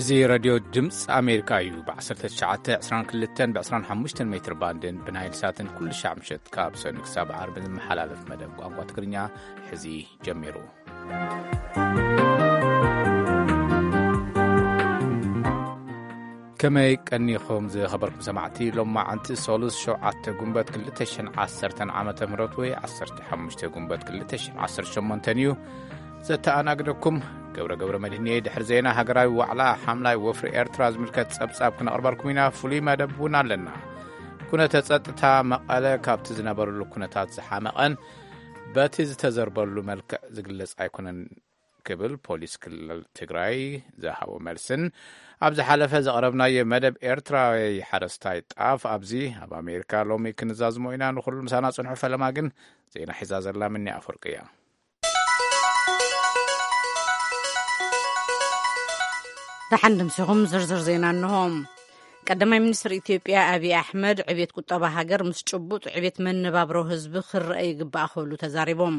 እዚ ሬድዮ ድምፂ ኣሜሪካ እዩ። ብ1922 ብ25 ሜትር ባንድን ብናይል ሳትን ኩሉ ሻዕ ምሸት ካብ ሰኑ ክሳብ ዓርቢ ዝመሓላለፍ መደብ ቋንቋ ትግርኛ ሕዚ ጀሚሩ። ከመይ ቀኒኹም ዝኸበርኩም ሰማዕቲ? ሎማዓንቲ ሶሉስ ሸውዓተ ጉንበት ክልተ ሽሕን ዓሰርተን ዓመተ ምህረት ወይ ዓሰርተ ሓሙሽተ ጉንበት ክልተ ሽሕን ዓሰርተ ሸሞንተን እዩ። ዘተኣናግደኩም ገብረ ገብረ መድህንየ። ድሕሪ ዜና ሃገራዊ ዋዕላ ሓምላይ ወፍሪ ኤርትራ ዝምልከት ጸብጻብ ክነቕርበልኩም ኢና። ፍሉይ መደብ እውን ኣለና። ኩነተ ጸጥታ መቐለ ካብቲ ዝነበረሉ ኩነታት ዝሓመቐን በቲ ዝተዘርበሉ መልክዕ ዝግለጽ ኣይኮነን ክብል ፖሊስ ክልል ትግራይ ዝሃቦ መልስን ኣብ ዝሓለፈ ዘቕረብናዮ መደብ ኤርትራዊ ሓረስታይ ጣፍ ኣብዚ ኣብ ኣሜሪካ ሎሚ ክንዛዝሞ ኢና። ንኹሉ ምሳና ጽንሑ። ፈለማ ግን ዜና ሒዛ ዘላ ምኒ ኣፈወርቂ እያ። ደሓን ድምሲኹም ዝርዝር ዜና እንሆ። ቀዳማይ ሚኒስትር ኢትዮጵያ ኣብይ ኣሕመድ ዕቤት ቁጠባ ሃገር ምስ ጭቡጥ ዕቤት መነባብሮ ህዝቢ ክረአ ይግባእ ክብሉ ተዛሪቦም።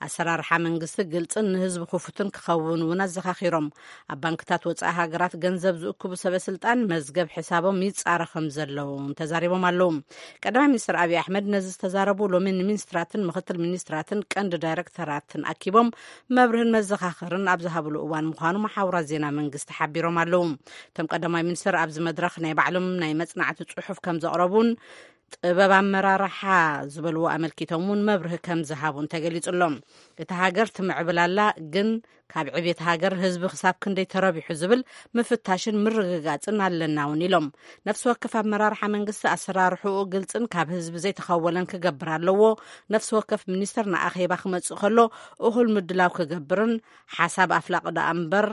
ኣሰራርሓ መንግስቲ ግልጽን ንህዝቢ ክፉትን ክኸውን እውን ኣዘኻኺሮም። ኣብ ባንክታት ወጻኢ ሃገራት ገንዘብ ዝእክቡ ሰበ ስልጣን መዝገብ ሕሳቦም ይጻረ ከም ዘለዉ እውን ተዛሪቦም ኣለዉ። ቀዳማይ ሚኒስትር ኣብይ ኣሕመድ ነዚ ዝተዛረቡ ሎሚ ንሚኒስትራትን ምክትል ሚኒስትራትን ቀንዲ ዳይሬክተራትን ኣኪቦም መብርህን መዘኻኸርን ኣብ ዝሃብሉ እዋን ምዃኑ መሓውራት ዜና መንግስቲ ሓቢሮም ኣለዉ። እቶም ቀዳማይ ሚኒስትር ኣብዚ መድረኽ ናይ ባዕሎም ናይ መጽናዕቲ ጽሑፍ ከም ዘቕረቡን ጥበብ ኣመራርሓ ዝበልዎ ኣመልኪቶም እውን መብርሂ ከም ዝሃቡን ተገሊጹ ኣሎ። እታ ሃገር ትምዕብል ኣላ፣ ግን ካብ ዕቤት ሃገር ህዝቢ ክሳብ ክንደይ ተረቢሑ ዝብል ምፍታሽን ምርግጋጽን ኣለና እውን ኢሎም። ነፍሲ ወከፍ ኣመራርሓ መንግስቲ ኣሰራርሕኡ ግልጽን ካብ ህዝቢ ዘይተኸወለን ክገብር ኣለዎ። ነፍሲ ወከፍ ሚኒስተር ንኣኼባ ክመጽእ ከሎ እኹል ምድላው ክገብርን ሓሳብ ኣፍላቂ ደኣ እምበር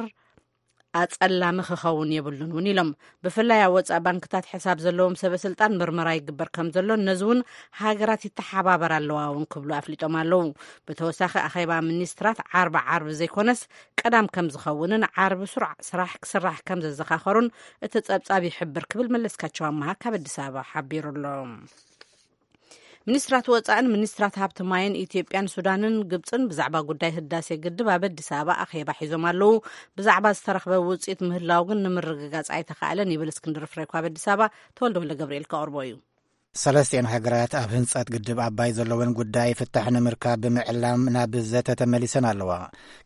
ኣጸላሚ ክኸውን የብሉን እውን ኢሎም። ብፍላይ ኣብ ወጻኢ ባንክታት ሕሳብ ዘለዎም ሰበ ስልጣን ምርመራ ይግበር ከም ዘሎን ነዚ እውን ሃገራት ይተሓባበር ኣለዋ እውን ክብሉ ኣፍሊጦም ኣለዉ። ብተወሳኺ ኣኼባ ሚኒስትራት ዓርቢ ዓርቢ ዘይኮነስ ቀዳም ከም ዝኸውንን ዓርቢ ስሩዕ ስራሕ ክስራሕ ከም ዘዘኻኸሩን እቲ ጸብጻብ ይሕብር ክብል መለስካቸው ኣመሃ ካብ ኣዲስ ኣበባ ሓቢሩ ኣሎ። ሚኒስትራት ወጻእን ሚኒስትራት ሃብቲ ማይን ኢትዮጵያን ሱዳንን ግብጽን ብዛዕባ ጉዳይ ህዳሴ ግድብ ኣብ ኣዲስ ኣበባ ኣኼባ ሒዞም ኣለዉ። ብዛዕባ ዝተረኽበ ውጽኢት ምህላው ግን ንምርግጋጽ ኣይተኻእለን ይብል እስክንድር ፍሬው ካብ ኣዲስ ኣበባ። ተወልደ ወልደ ገብርኤል ከቕርቦ እዩ። ሰለስቲኤን ሃገራት ኣብ ህንጸት ግድብ ኣባይ ዘለወን ጉዳይ ፍታሕ ንምርካብ ብምዕላም ናብ ዘተ ተመሊሰን ኣለዋ።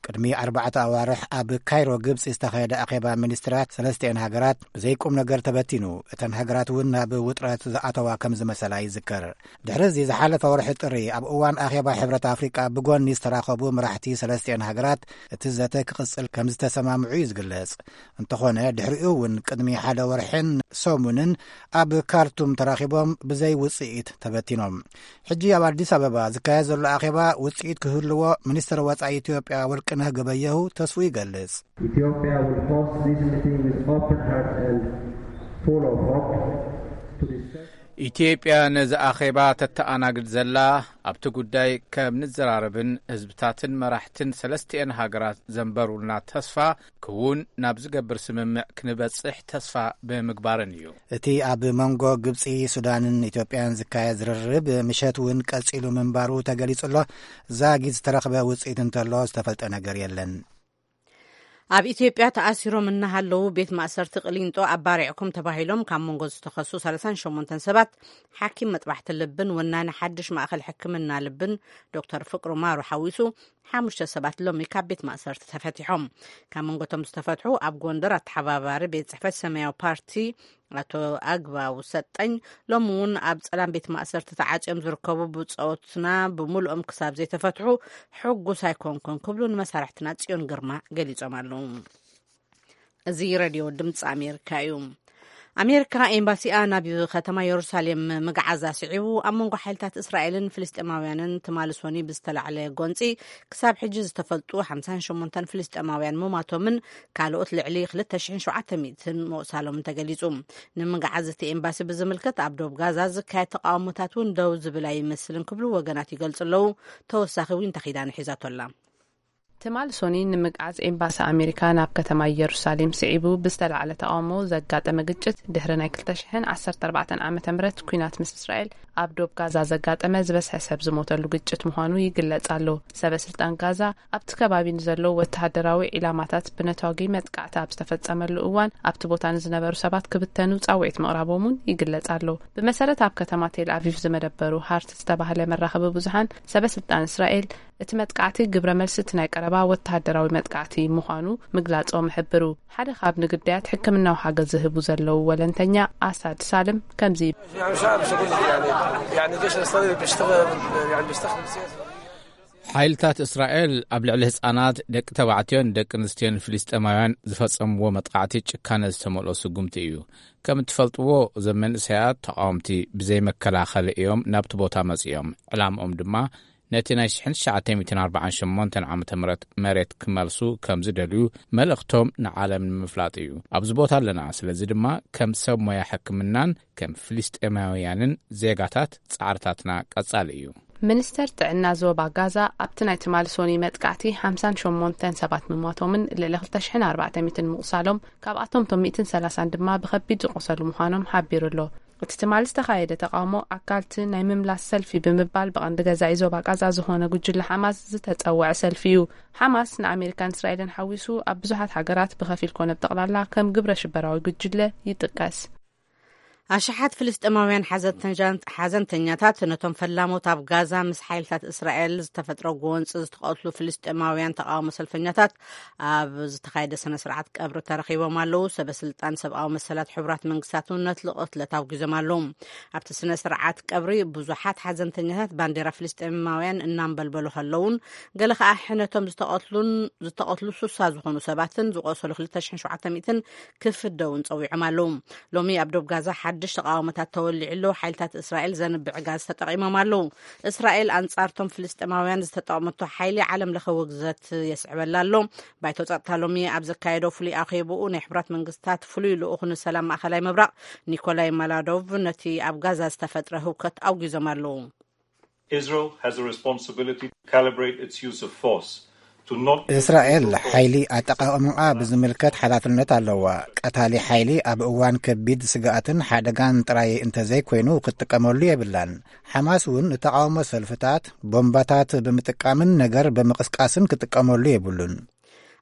ቅድሚ ኣርባዕተ ኣዋርሕ ኣብ ካይሮ ግብጺ ዝተኻየደ ኣኼባ ሚኒስትራት ሰለስቲኤን ሃገራት ብዘይቁም ነገር ተበቲኑ። እተን ሃገራት እውን ናብ ውጥረት ዝኣተዋ ከም ዝመሰላ ይዝከር። ድሕሪ እዚ ዝሓለፈ ወርሒ ጥሪ ኣብ እዋን ኣኼባ ሕብረት ኣፍሪቃ ብጎኒ ዝተራኸቡ መራሕቲ ሰለስቲኤን ሃገራት እቲ ዘተ ክቕጽል ከም ዝተሰማምዑ እዩ ዝግለጽ። እንተኾነ ድሕሪኡ እውን ቅድሚ ሓደ ወርሕን ሰሙንን ኣብ ካርቱም ተራኺቦም ብዘይ ውጽኢት ተበቲኖም። ሕጂ ኣብ ኣዲስ ኣበባ ዝካየድ ዘሎ ኣኼባ ውጽኢት ክህልዎ ሚኒስትር ወጻኢ ኢትዮጵያ ወርቅነህ ገበየሁ ተስፉ ይገልጽ። Ethiopia will host this meeting with open heart and full of hope to discuss ኢትዮጵያ ነዚ ኣኼባ ተተኣናግድ ዘላ ኣብቲ ጉዳይ ከም ንዘራረብን ህዝብታትን መራሕትን ሰለስቲኤን ሃገራት ዘንበሩልና ተስፋ ክውን ናብ ዝገብር ስምምዕ ክንበጽሕ ተስፋ ብምግባርን እዩ። እቲ ኣብ መንጎ ግብጺ፣ ሱዳንን ኢትዮጵያን ዝካየድ ዝርርብ ምሸት እውን ቀጺሉ ምንባሩ ተገሊጹ ኣሎ። ዛጊድ ዝተረኽበ ውጽኢት እንተሎ ዝተፈልጠ ነገር የለን። ኣብ ኢትዮጵያ ተኣሲሮም እናሃለዉ ቤት ማእሰርቲ ቅሊንጦ ኣባሪዕኩም ተባሂሎም ካብ መንጎ ዝተኸሱ ሰላሳን ሸሞንተን ሰባት ሓኪም መጥባሕቲ ልብን ወናኒ ሓድሽ ማእኸል ሕክምና ልብን ዶክተር ፍቅሩ ማሩ ሓዊሱ ሓሙሽተ ሰባት ሎሚ ካብ ቤት ማእሰርቲ ተፈቲሖም። ካብ መንጎቶም ዝተፈትሑ ኣብ ጎንደር ኣተሓባባሪ ቤት ጽሕፈት ሰማያዊ ፓርቲ ኣቶ ኣግባው ሰጠኝ ሎሚ እውን ኣብ ጸላም ቤት ማእሰርቲ ተዓጽዮም ዝርከቡ ብጾትና ብምሉኦም ክሳብ ዘይተፈትሑ ሕጉስ ኣይኮንኩን ክብሉ ንመሳርሕትና ጽዮን ግርማ ገሊጾም ኣለዉ። እዚ ሬድዮ ድምፂ ኣሜሪካ እዩ። ኣሜሪካ ኤምባሲኣ ናብ ከተማ የሩሳሌም ምግዓዛ ስዒቡ ኣብ መንጎ ሓይልታት እስራኤልን ፍልስጤማውያንን ትማሊ ሶኒ ብዝተላዕለ ጎንፂ ክሳብ ሕጂ ዝተፈልጡ ሓምሳን ሸሞንተን ፍልስጤማውያን ምማቶምን ካልኦት ልዕሊ ክልተ ሽሕን ሸውዓተ ሚእትን መቑሳሎምን ተገሊጹ። ንምግዓዝ እቲ ኤምባሲ ብዝምልከት ኣብ ዶብ ጋዛ ዝካየድ ተቃውሞታት እውን ደው ዝብል ኣይመስልን ክብሉ ወገናት ይገልጹ ኣለዉ። ተወሳኺ ዊንታ ኪዳነ ሒዛቶ ኣላ። ትማል ሶኒ ንምግዓዝ ኤምባሲ ኣሜሪካ ናብ ከተማ ኢየሩሳሌም ስዒቡ ብዝተላዕለ ተቓውሞ ዘጋጠመ ግጭት፣ ድሕሪ ናይ ክልተ ሽሕን ዓሰርተ ኣርባዕተን ዓመተ ምህረት ኲናት ምስ እስራኤል ኣብ ዶብ ጋዛ ዘጋጠመ ዝበዝሐ ሰብ ዝሞተሉ ግጭት ምዃኑ ይግለጽ ኣሎ። ሰበ ስልጣን ጋዛ ኣብቲ ከባቢ ንዘለዉ ወተሃደራዊ ዒላማታት ብነታጒ መጥቃዕቲ ኣብ ዝተፈጸመሉ እዋን፣ ኣብቲ ቦታ ንዝነበሩ ሰባት ክብተኑ ጻውዒት ምቕራቦም እውን ይግለጽ ኣሎ። ብመሰረት ኣብ ከተማ ቴል ኣቪቭ ዝመደበሩ ሃርት ዝተባህለ መራኸቢ ብዙሃን፣ ሰበ ስልጣን እስራኤል እቲ መጥቃዕቲ ግብረ መልሲ እቲ ናይ ቀረባ ወተሃደራዊ መጥቃዕቲ ምዃኑ ምግላጾም ይሕብሩ። ሓደ ካብ ንግዳያት ሕክምናዊ ሓገዝ ዝህቡ ዘለዉ ወለንተኛ ኣሳድ ሳልም ከምዚ ይብል። ሓይልታት እስራኤል ኣብ ልዕሊ ህጻናት፣ ደቂ ተባዕትዮን ደቂ ኣንስትዮን ፍልስጤማውያን ዝፈጸምዎ መጥቃዕቲ ጭካነ ዝተመልኦ ስጉምቲ እዩ። ከም እትፈልጥዎ፣ እዞም መንእሰያት ተቓወምቲ ብዘይ መከላኸሊ እዮም ናብቲ ቦታ መጺኦም። ዕላምኦም ድማ ነቲ ናይ ሽሕን ትሽዓተ ሚእትን ኣርባዓን ሸሞንተን ዓመተ ምህረት መሬት ክመልሱ ከም ዝደልዩ መልእኽቶም ንዓለም ንምፍላጥ እዩ። ኣብዚ ቦታ ኣለና፣ ስለዚ ድማ ከም ሰብ ሞያ ሕክምናን ከም ፍልስጤማውያንን ዜጋታት ጻዕርታትና ቀጻሊ እዩ። ሚኒስተር ጥዕና ዞባ ጋዛ ኣብቲ ናይ ትማሊ ሶኒ መጥቃዕቲ ሓምሳን ሸሞንተን ሰባት ምሟቶምን ልዕሊ ክልተ ሽሕን ኣርባዕተ ሚእትን ምቑሳሎም፣ ካብኣቶም እቶም ሚእትን ሰላሳን ድማ ብኸቢድ ዝቖሰሉ ምዃኖም ሓቢሩ ኣሎ። እቲ ትማሊ ዝተኻየደ ተቓውሞ ኣካልቲ ናይ ምምላስ ሰልፊ ብምባል ብቐንዲ ገዛኢ ዞባ ጋዛ ዝኾነ ጉጅለ ሓማስ ዝተጸውዐ ሰልፊ እዩ። ሓማስ ንኣሜሪካን እስራኤልን ሓዊሱ ኣብ ብዙሓት ሃገራት ብኸፊል ኮነ ብጠቕላላ ከም ግብረ ሽበራዊ ጉጅለ ይጥቀስ። ኣሽሓት ፍልስጤማውያን ሓዘንተኛ-፣ ሓዘንተኛታት ነቶም ፈላሞት ኣብ ጋዛ ምስ ሓይልታት እስራኤል ዝተፈጥረ ጎንፂ ዝተቐትሉ ፍልስጤማውያን ተቓውሞ ሰልፈኛታት ኣብ ዝተኻየደ ስነ ስርዓት ቀብሪ ተረኺቦም ኣለዉ። ሰበ ስልጣን ሰብኣዊ መሰላት ሕቡራት መንግስታት እውን ነቲ ቅትለት ኣውጊዞም ኣለዉ። ኣብቲ ስነ ስርዓት ቀብሪ ብዙሓት ሓዘንተኛታት ባንዴራ ፍልስጤማውያን እናንበልበሉ ከለውን፣ ገለ ከኣ ሕነቶም ዝተቐትሉን ዝተቐትሉ ስሳ ዝኾኑ ሰባትን ዝቆሰሉ ክልተ ሽሕን ሸውዓተ ሚእትን ክፍደውን ጸዊዖም ኣለዉ። ሎሚ ኣብ ዶብ ጋዛ ሓድሽ ተቓውሞታት ተወሊዑ ኣሎ። ሓይልታት እስራኤል ዘንብዕ ጋዝ ተጠቒሞም ኣለዉ። እስራኤል ኣንጻርቶም ፍልስጤማውያን ዝተጠቐመቶ ሓይሊ ዓለም ለኸ ውግዘት የስዕበላ ኣሎ። ባይቶ ጸጥታ ሎሚ ኣብ ዘካየዶ ፍሉይ ኣኼብኡ፣ ናይ ሕቡራት መንግስታት ፍሉይ ልኡኹ ንሰላም ማእከላይ ምብራቕ ኒኮላይ ማላዶቭ ነቲ ኣብ ጋዛ ዝተፈጥረ ህውከት ኣውጊዞም ኣለዉ። Israel has a responsibility to calibrate its use of force to not እስራኤል ሓይሊ ኣጠቓቕምኣ ብዝምልከት ሓላፍነት ኣለዋ። ቀታሊ ሓይሊ ኣብ እዋን ከቢድ ስግኣትን ሓደጋን ጥራይ እንተዘይኮይኑ ክትጥቀመሉ የብላን። ሓማስ እውን ንተቓውሞ ሰልፍታት ቦምባታት ብምጥቃምን ነገር ብምቕስቃስን ክጥቀመሉ የብሉን።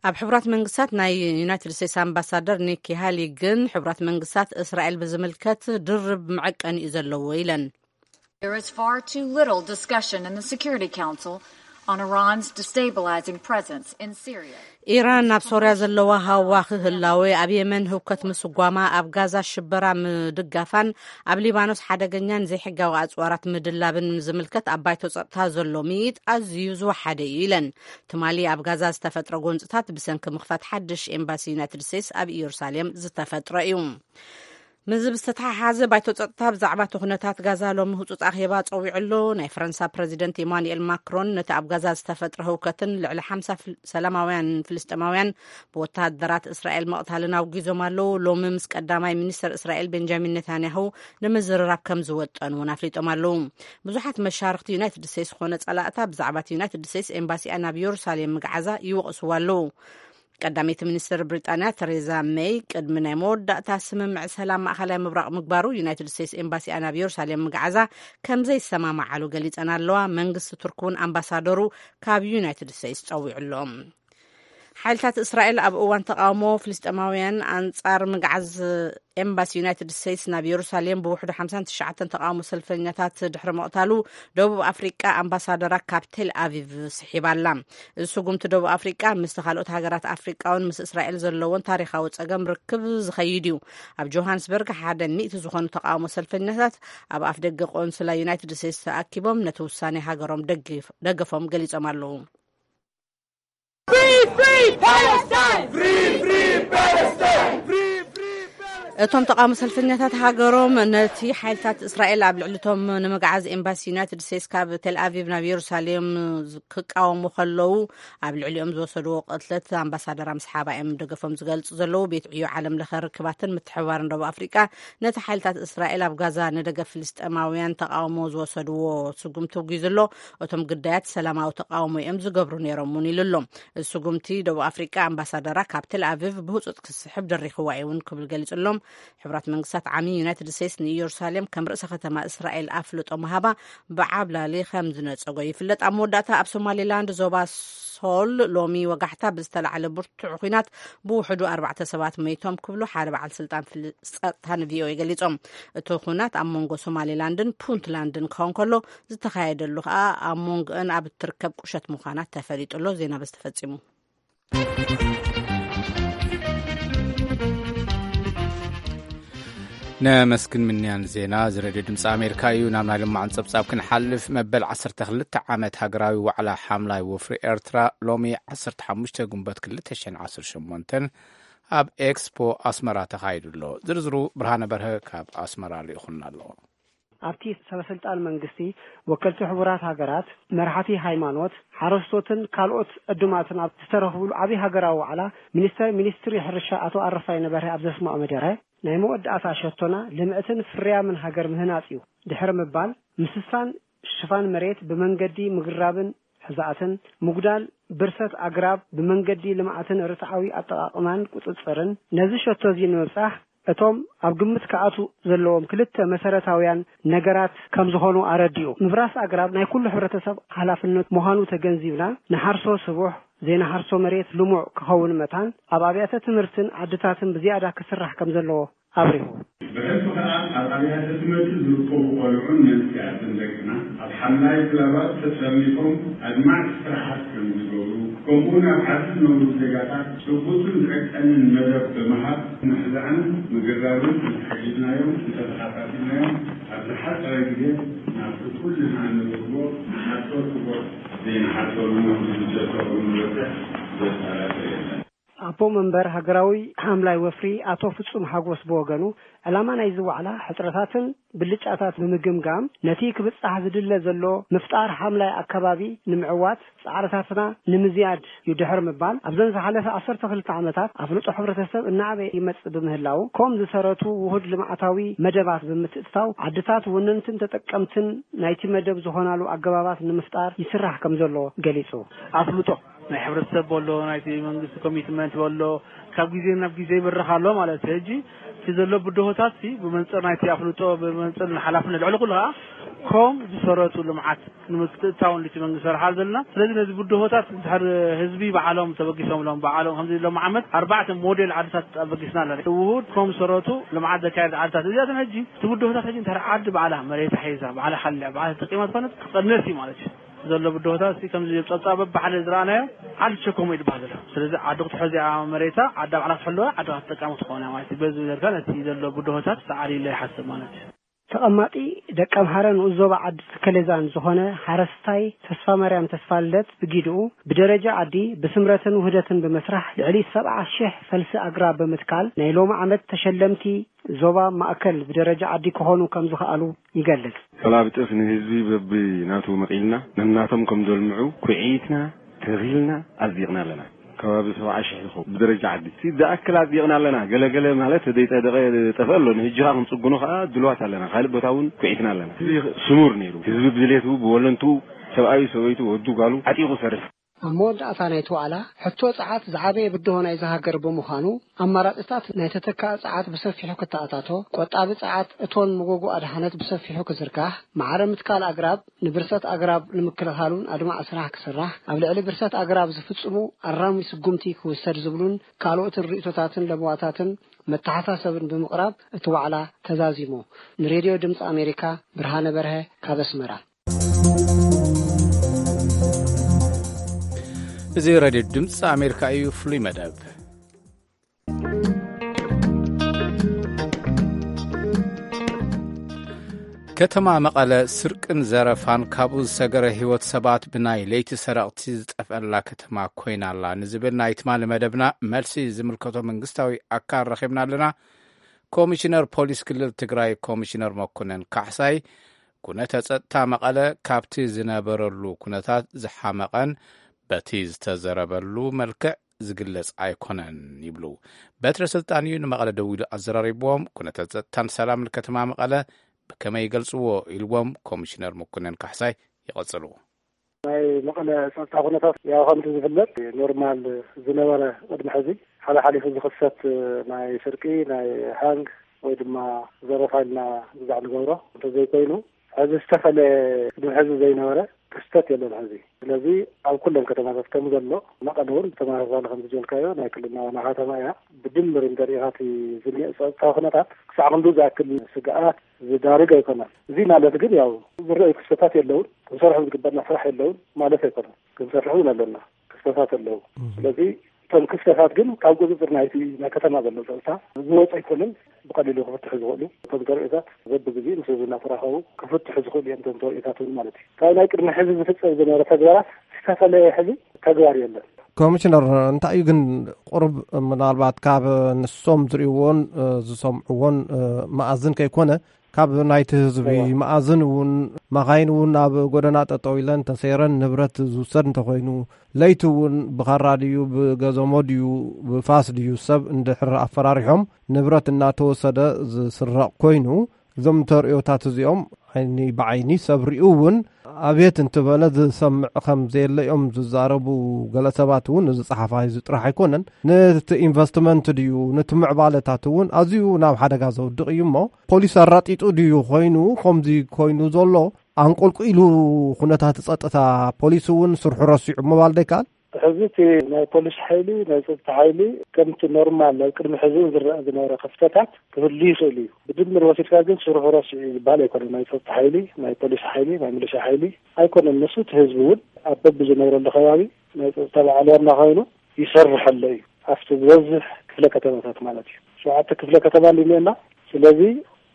ኣብ ሕቡራት መንግስታት ናይ ዩናይትድ ስቴትስ ኣምባሳደር ኒኪ ሃሊ ግን፣ ሕቡራት መንግስታት እስራኤል ብዝምልከት ድርብ መዐቀኒ እዩ ዘለዎ ኢለን። There is far too little discussion in the Security Council on Iran's destabilizing presence in Syria. ኢራን ኣብ ሶርያ ዘለዋ ሃዋኺ ህላዌ፣ ኣብ የመን ህውከት ምስጓማ፣ ኣብ ጋዛ ሽበራ ምድጋፋን ኣብ ሊባኖስ ሓደገኛን ዘይሕጋዊ ኣጽዋራት ምድላብን ዝምልከት ኣብ ባይቶ ጸጥታ ዘሎ ምይይጥ ኣዝዩ ዝወሓደ እዩ ኢለን። ትማሊ ኣብ ጋዛ ዝተፈጥረ ጎንጽታት ብሰንኪ ምኽፋት ሓድሽ ኤምባሲ ዩናይትድ ስቴትስ ኣብ ኢየሩሳሌም ዝተፈጥረ እዩ። ምስዚ ብዝተተሓሓዘ፣ ባይቶ ጸጥታ ብዛዕባ እቲ ኩነታት ጋዛ ሎሚ ህጹጽ ኣኼባ ጸዊዑ ኣሎ። ናይ ፈረንሳ ፕረዚደንት ኢማኑኤል ማክሮን ነቲ ኣብ ጋዛ ዝተፈጥረ ህውከትን ልዕሊ ሓምሳ ፍል-፣ ሰላማውያን ፍልስጤማውያን ብወተሃደራት እስራኤል ምቕታልን ኣውጊዞም ኣለዉ። ሎሚ ምስ ቀዳማይ ሚኒስተር እስራኤል ቤንጃሚን ኔታንያሁ ንምዝርራብ ከም ዝወጠኑ እውን ኣፍሊጦም ኣለዉ። ብዙሓት መሻርኽቲ ዩናይትድ ስቴትስ ዝኾነ ጸላእታ ብዛዕባ እቲ ዩናይትድ ስቴትስ ኤምባሲኣ ናብ የሩሳሌም ምግዓዛ ይወቕስዋ ኣለዉ። ቀዳመይቲ ሚኒስትር ብሪጣንያ ተሬዛ ሜይ ቅድሚ ናይ መወዳእታ ስምምዕ ሰላም ማእኸላይ ምብራቕ ምግባሩ፣ ዩናይትድ ስቴትስ ኤምባሲኣ ናብ የሩሳሌም ምግዓዛ ከም ዘይሰማማዓሉ ገሊጸን ኣለዋ። መንግስቲ ቱርክ እውን ኣምባሳደሩ ካብ ዩናይትድ ስቴትስ ጸዊዑ ኣሎ። ሓይልታት እስራኤል ኣብ እዋን ተቓውሞ ፍልስጤማውያን ኣንጻር ምግዓዝ ኤምባሲ ዩናይትድ ስቴትስ ናብ የሩሳሌም ብውሕዱ ሓምሳን ትሽዓተን ተቓውሞ ሰልፈኛታት ድሕሪ ምቕታሉ፣ ደቡብ ኣፍሪቃ ኣምባሳደራ ካብ ቴል ኣቪቭ ስሒባ ኣላ። እዚ ስጉምቲ ደቡብ ኣፍሪቃ ምስቲ ካልኦት ሃገራት ኣፍሪቃ እውን ምስ እስራኤል ዘለዎን ታሪኻዊ ጸገም ርክብ ዝኸይድ እዩ። ኣብ ጆሃንስበርግ ሓደ ሚእቲ ዝኾኑ ተቓውሞ ሰልፈኛታት ኣብ ኣፍ ደገ ቆንስላ ዩናይትድ ስቴትስ ተኣኪቦም ነቲ ውሳኔ ሃገሮም ደገፍ-፣ ደገፎም ገሊጾም ኣለዉ። Free, free Palestine! Free, free Palestine! Free, free Palestine! እቶም ተቓውሞ ሰልፈኛታት ሃገሮም ነቲ ሓይልታት እስራኤል ኣብ ልዕሊቶም ንምግዓዝ ኤምባሲ ዩናይትድ ስቴትስ ካብ ቴል ኣቪቭ ናብ የሩሳሌም ክቃወሙ ከለዉ ኣብ ልዕሊኦም ዝወሰድዎ ቅትለት ኣምባሳደር ኣምስሓባ እዮም ደገፎም ዝገልጹ ዘለዉ። ቤት ዕዮ ዓለም ለኸ ርክባትን ምትሕባርን ደቡብ ኣፍሪቃ ነቲ ሓይልታት እስራኤል ኣብ ጋዛ ንደገፍ ፍልስጤማውያን ተቓውሞ ዝወሰድዎ ስጉምቲ ኣውጊዙ ኣሎ። እቶም ግዳያት ሰላማዊ ተቓውሞ እዮም ዝገብሩ ነይሮም እውን ኢሉ ኣሎ። እዚ ስጉምቲ ደቡብ ኣፍሪቃ ኣምባሳደራ ካብ ቴል ኣቪቭ ብህፁፅ ክስሕብ ደሪኽዋ እዩ እውን ክብል ገሊፁሎም። ሕቡራት መንግስታት ዓሚ ዩናይትድ ስቴትስ ንኢየሩሳሌም ከም ርእሰ ከተማ እስራኤል ኣፍልጦ ምሃባ ብዓብላሊ ከም ዝነፀጎ ይፍለጥ። ኣብ መወዳእታ ኣብ ሶማሌላንድ ዞባ ሶል ሎሚ ወጋሕታ ብዝተላዕለ ብርቱዕ ኹናት ብውሕዱ ኣርባዕተ ሰባት መይቶም ክብሉ ሓደ በዓል ስልጣን ፍል- ጸጥታ ንቪኦኤ ገሊጾም። እቲ ኹናት ኣብ መንጎ ሶማሌላንድን ፑንትላንድን ክኸውን ከሎ ዝተኻየደሉ ከኣ ኣብ መንጎአን ኣብ እትርከብ ቁሸት ምዃና ተፈሊጡ ኣሎ። ዜና በዚ ተፈጺሙ። ነመስግን ምንያን ዜና እዚ ሬድዮ ድምፂ ኣሜሪካ እዩ። ናብ ናይ ልማዕን ፀብፃብ ክንሓልፍ፣ መበል ዓሰርተ ክልተ ዓመት ሃገራዊ ዋዕላ ሓምላይ ወፍሪ ኤርትራ ሎሚ ዓሰርተ ሓሙሽተ ግንቦት ክልተ ሽሕን ዓሰርተ ሸሞንተን ኣብ ኤክስፖ ኣስመራ ተኻይዱ ኣሎ። ዝርዝሩ ብርሃነ በርሀ ካብ ኣስመራ ልኢኹና ኣሎ። ኣብቲ ሰበስልጣን መንግስቲ፣ ወከልቲ ሕቡራት ሃገራት፣ መራሕቲ ሃይማኖት፣ ሓረስቶትን ካልኦት ዕዱማትን ኣብ ዝተረኽብሉ ዓብዪ ሃገራዊ ዋዕላ፣ ሚኒስተር ሚኒስትሪ ሕርሻ ኣቶ ኣረፋይነ በርሀ ኣብ ዘስምዖ መደረ፣ ናይ መወዳእታ ሸቶና ልምዕትን ፍርያምን ሃገር ምህናጽ እዩ ድሕሪ ምባል፣ ምስሳን ሽፋን መሬት ብመንገዲ ምግራብን ሕዛእትን፣ ምጉዳል ብርሰት ኣግራብ ብመንገዲ ልምዓትን ርትዓዊ ኣጠቓቕማን ቁጽጽርን፣ ነዚ ሸቶ እዚ ንምብጻሕ እቶም ኣብ ግምት ክኣትዉ ዘለዎም ክልተ መሰረታውያን ነገራት ከም ዝኾኑ ኣረዲኡ። ምብራስ ኣግራብ ናይ ኩሉ ሕብረተሰብ ሓላፍነት ምዃኑ ተገንዚብና፣ ንሓርሶ ስቡሕ፣ ዘይንሓርሶ መሬት ልሙዕ ክኸውን መታን፣ ኣብ ኣብያተ ትምህርትን ዓድታትን ብዝያዳ ክስራሕ ከም ዘለዎ ኣብሪሁ። ብሕልፊ ከኣ ኣብ ኣብያተ ትምህርቲ ዝርከቡ ቆልዑን መንእሰያትን ደቅና ኣብ ሓምላይ ክለባት ተሰሊፎም ኣድማዕቲ ስራሓት ከም ዝገብሩ፣ ከምኡውን ኣብ ዓዲ ዝነብሩ ዜጋታት ጭቡጥን ዝዕቀንን መደብ ብምሃብ ምሕዛእን ምግራብን እንተሓጊዝናዮም፣ እንተተኻታቲልናዮም፣ ኣብ ዝሓጸረ ግዜ ናብቲ ኩልና እንረኽቦ ንሓርሶ ክቡር ዘይንሓርሰሉ ንዝጀመሩ ንበጽሕ ዘጠራጥር የለን። ኣቦ መንበር ሃገራዊ ሓምላይ ወፍሪ ኣቶ ፍጹም ሓጎስ ብወገኑ፣ ዕላማ ናይዚ ዋዕላ ሕጽረታትን ብልጫታት ብምግምጋም፣ ነቲ ክብጻሕ ዝድለ ዘሎ ምፍጣር ሓምላይ ኣከባቢ ንምዕዋት ጻዕርታትና ንምዝያድ እዩ ድሕሪ ምባል፣ ኣብዘን ዝሓለፈ ዓሰርተ ክልተ ዓመታት ኣፍልጦ ሕብረተሰብ እናዓበየ ይመጽእ ብምህላው፣ ኮም ዝሰረቱ ውሁድ ልምዓታዊ መደባት ብምትእትታው፣ ዓድታት ወነንትን ተጠቀምትን ናይቲ መደብ ዝኾናሉ ኣገባባት ንምፍጣር ይስራሕ ከም ዘሎ ገሊጹ። ኣፍልጦ ናይ ሕብረተሰብ በሎ፣ ናይቲ መንግስቲ ኮሚትመንት በሎ፣ ካብ ግዜ ናብ ግዜ ይብርኽ ኣሎ ማለት እዩ። ሕጂ እቲ ዘሎ ብድሆታት ሲ ብመንጽር ናይቲ ኣፍልጦ፣ ብመንጽር ንሓላፍነት፣ ልዕሊ ኩሉ ከኣ ኮም ዝሰረቱ ልምዓት ንምትእትታውን ልቲ መንግስቲ ሰርሓ ዘለና። ስለዚ ነዚ ብድሆታት እንድሕር ህዝቢ ባዕሎም ተበጊሶምሎም፣ ባዕሎም ከምዚ ሎም ዓመት ኣርባዕተ ሞዴል ዓድታት ኣበጊስና ኣለና። ውሁድ ኮም ዝሰረቱ ልምዓት ዘካየድ ዓድታት እዚኣተን ሕጂ እቲ ብድሆታት ሕጂ እንድሕር ዓዲ ባዕላ መሬታ ሒዛ፣ ባዕላ ሓልያ፣ ባዕላ ተጠቂማ ዝኾነት ክቐነስ እዩ ማለት እዩ። ዘሎ ብድሆታት እስቲ ከምዚ ጸብጻብ በብሓደ ዝረኣናዮ ዓዲ ትሸከሞ እዩ ዝበሃል ዘሎ። ስለዚ ዓዲ ክትሕዝ እያ መሬታ፣ ዓዲ ባዕላ ክትሕልዋ፣ ዓዲ ክትጥቀም ክትኾን እያ ማለት እዩ። በዚ ጌርካ ነቲ ዘሎ ብድሆታት ሰዓሪ ኢለ ይሓስብ ማለት እዩ። ተቐማጢ ደቀምሓረ ንኡስ ዞባ ዓዲ ተከሌዛን ዝኾነ ሓረስታይ ተስፋማርያም ተስፋልደት ብጊድኡ፣ ብደረጃ ዓዲ ብስምረትን ውህደትን ብምስራሕ ልዕሊ ሰብዓ ሽሕ ፈልሲ ኣግራብ ብምትካል ናይ ሎሚ ዓመት ተሸለምቲ ዞባ ማእከል ብደረጃ ዓዲ ክኾኑ ከም ዝኸኣሉ ይገልጽ። ከባቢ ጤፍ ንህዝቢ በብናቱ መቒልና ነናቶም ከም ዘልምዑ ኩዒትና ተኺልና ኣጽዲቕና ኣለና። ከባቢ ሰብዓ ሽሕ ይኸውን ብደረጃ ዓዲ። እቲ ዝኣክል ኣጽዲቕና ኣለና። ገለገለ ማለት ዘይጸደቐ ጠፍአ ኣሎ። ንህጂ ኸኣ ክንጽግኖ ኸኣ ድልዋት ኣለና። ካልእ ቦታ እውን ኩዒትና ኣለና። እዚ ስሙር ነይሩ። ህዝቢ ብድሌቱ፣ ብወለንትኡ፣ ሰብኣዩ፣ ሰበይቱ፣ ወዱ፣ ጓሉ ዓጢቑ ሰርሕ። ኣብ መወዳእታ ናይቲ ዋዕላ፣ ሕቶ ጸዓት ዝዓበየ ብድሆ ናይዛ ሃገር ብምዃኑ፣ ኣማራጺታት ናይ ተተካኢ ጸዓት ብሰፊሑ ክተኣታቶ፣ ቆጣቢ ጸዓት፣ እቶን መጎጎ ኣድሓነት ብሰፊሑ ክዝርጋሕ፣ ማዕረ ምትካል ኣግራብ፣ ንብርሰት ኣግራብ ንምክልኻሉን ኣድማዒ ስራሕ ክስራሕ፣ ኣብ ልዕሊ ብርሰት ኣግራብ ዝፍጽሙ ኣራሚ ስጉምቲ ክውሰድ ዝብሉን ካልኦትን ርእይቶታትን ለበዋታትን መተሓሳሰብን ብምቕራብ እቲ ዋዕላ ተዛዚሙ። ንሬድዮ ድምፂ ኣሜሪካ ብርሃነ በርሀ ካብ ኣስመራ። እዚ ሬድዮ ድምፂ ኣሜሪካ እዩ። ፍሉይ መደብ። ከተማ መቐለ ስርቅን ዘረፋን ካብኡ ዝሰገረ ህይወት ሰባት ብናይ ለይቲ ሰረቕቲ ዝጠፍአላ ከተማ ኮይና ኣላ ንዝብል ናይ ትማሊ መደብና መልሲ ዝምልከቶ መንግስታዊ ኣካል ረኺብና ኣለና። ኮሚሽነር ፖሊስ ክልል ትግራይ ኮሚሽነር መኮነን ካሕሳይ፣ ኩነተ ጸጥታ መቐለ ካብቲ ዝነበረሉ ኩነታት ዝሓመቐን በቲ ዝተዘረበሉ መልክዕ ዝግለጽ ኣይኮነን ይብሉ። በትረ ስልጣን እዩ ንመቐለ ደዊሉ ኣዘራሪብዎም። ኩነተ ጸጥታን ሰላምን ከተማ መቐለ ብከመይ ይገልጽዎ ኢልዎም ኮሚሽነር መኮነን ካሕሳይ ይቐጽሉ። ናይ መቐለ ጸጥታ ኩነታት ያው ከምቲ ዝፍለጥ ኖርማል ዝነበረ ቅድሚ ሕዚ ሓላሓሊፉ ዝኽሰት ናይ ስርቂ፣ ናይ ሃንግ ወይ ድማ ዘረፋ ኢልና ብዛዕ ንገብሮ እንተዘይኮይኑ፣ ሕዚ ዝተፈለየ ቅድሚ ሕዚ ዘይነበረ ክስተት የለን ሕዚ። ስለዚ ኣብ ኩለን ከተማታት ከም ዘሎ መቐለ እውን ብተመሳሳሊ ከም ዝበልካዮ ናይ ክልልና ዋና ከተማ እያ። ብድምር እንተሪኢኻ እቲ ዝኒኦ ጸጥታ ኩነታት ክሳዕ ክንዱ ዝኣክል ስግኣት ዝዳርግ ኣይኮነን። እዚ ማለት ግን ያው ዝረኣዩ ክስተታት የለውን፣ ክንሰርሖም ዝግበእና ስራሕ የለውን ማለት ኣይኮነን። ክንሰርሕ እውን ኣለና፣ ክስተታት ኣለዉ። ስለዚ እቶም ክስተታት ግን ካብ ቁፅፅር ናይቲ ናይ ከተማ ዘሎ ፀጥታ ዝወፀ ኣይኮነን። ብቐሊሉ ክፍትሑ ዝኽእሉ እቶም ተርእዮታት በብግዜኡ ምስ ህዝቢ እናተራኸቡ ክፍትሑ ዝኽእሉ እዮም። እቶም ተርእዮታት እውን ማለት እዩ። ካብ ናይ ቅድሚ ሕዚ ዝፍፀም ዝነበረ ተግባራት ዝተፈለየ ሕዚ ተግባር የለን። ኮሚሽነር፣ እንታይ እዩ ግን ቁሩብ ምናልባት ካብ ንሶም ዝርእይዎን ዝሰምዕዎን መኣዝን ከይኮነ፣ ካብ ናይቲ ህዝቢ መኣዝን እውን፣ መኻይን እውን ኣብ ጎደና ጠጠው ኢለን ተሰይረን ንብረት ዝውሰድ እንተኾይኑ፣ ለይቲ እውን ብኻራ ድዩ ብገዘሞ ድዩ ብፋስ ድዩ ሰብ እንድሕር ኣፈራሪሖም ንብረት እናተወሰደ ዝስረቕ ኮይኑ፣ እዞም ተርእዮታት እዚኦም ዓይኒ ብዓይኒ ሰብ ሪኡ እውን ኣቤት እንትበለ ዝሰምዕ ከም ዘየለ እዮም ዝዛረቡ። ገለ ሰባት እውን እዚ ጸሓፋይ እዚ ጥራሕ ኣይኮነን፣ ነቲ ኢንቨስትመንት ድዩ ነቲ ምዕባለታት እውን ኣዝዩ ናብ ሓደጋ ዘውድቕ እዩ እሞ፣ ፖሊስ ኣራጢጡ ድዩ ኮይኑ ከምዚ ኮይኑ ዘሎ? ኣንቆልቁኢሉ ኩነታት ጸጥታ፣ ፖሊስ እውን ስርሑ ረሲዑ ምባል ዶ ይከኣል? ሕዚ እቲ ናይ ፖሊስ ሓይሊ፣ ናይ ጸጥታ ሓይሊ ከምቲ ኖርማል ኣብ ቅድሚ ሕዚ እውን ዝረአ ዝነበረ ክፍተታት ክህሉ ይኽእል እዩ። ብድምር ወሲድካ ግን ስርሑ ረሲዑ እዩ ዝበሃል ኣይኮነን። ናይ ጸጥታ ሓይሊ፣ ናይ ፖሊስ ሓይሊ፣ ናይ ሚሊሻ ሓይሊ ኣይኮነን። ንሱ እቲ ህዝቢ እውን ኣብ በብዝነብረሉ ከባቢ ናይ ጸጥታ በዓል ዋና ኮይኑ ይሰርሕ ኣሎ እዩ። ኣብቲ ዝበዝሕ ክፍለ ከተማታት ማለት እዩ። ሸውዓተ ክፍለ ከተማ እንዲኒኤና። ስለዚ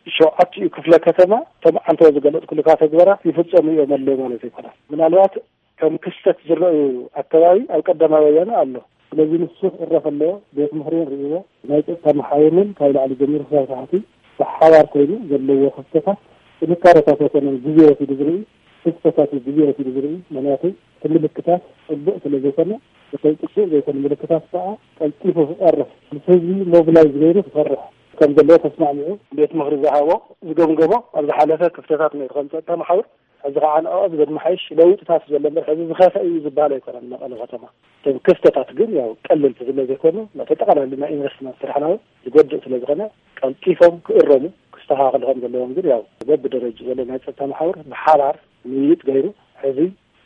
ሸውዓቲኡ ክፍለ ከተማ እቶም ዓንተቦ ዝገለጽኩልካ ተግባራት ይፍጸሙ እዮም ኣለዉ ማለት ኣይኮነን። ምናልባት ከም ክስተት ዝረኣዩ ኣከባቢ ኣብ ቀዳማይ ወያነ ኣሎ። ስለዚ ንሱ ክእረፍ ኣለዎ። ቤት ምኽሪ ንርእይዎ፣ ናይ ጸጥታ መሓውርን ካብ ላዕሊ ጀሚሩ ክሳብ ታሕቲ ብሓባር ኮይኑ ዘለዎ ክፍተታት ጥንካረታት ኣይኮነን ግዜ ወሲዱ ዝርኢ፣ ክፍተታት እዩ ግዜ ወሲዱ ዝርኢ። ምኽንያቱ እቲ ምልክታት ጽቡቕ ስለ ዘይኮነ፣ እቶም ጽቡቕ ዘይኮኑ ምልክታት ከዓ ቀልጢፉ ክቐርፍ፣ ምስ ህዝቢ ሞብላይዝ ገይሩ ክሰርሕ ከም ዘለዎ ተስማዕሚዑ። ቤት ምኽሪ ዝሃቦ ዝገምገሞ ኣብ ዝሓለፈ ክፍተታት ነቲ ከም ጸጥታ መሓውር ሕዚ ከዓ ንዕኦ ዝመሓይሽ ለውጥታት ዘሎ እምበር፣ ሕዚ ዝኸፍአ እዩ ዝበሃል ኣይኮነን። መቐለ ከተማ እቶም ክፍተታት ግን ያው ቀለልቲ ስለ ዘይኮኑ፣ ነቲ ጠቕላላ ናይ ኢንቨስትመንት ስራሕና እውን ዝጎድእ ስለ ዝኾነ፣ ቀልጢፎም ክእረሙ፣ ክስተኻኸሉ ከም ዘለዎም ግን ያው በብደረጃ ዘሎ ናይ ጸጥታ መሓውር ብሓባር ምይይጥ ገይሩ፣ ሕዚ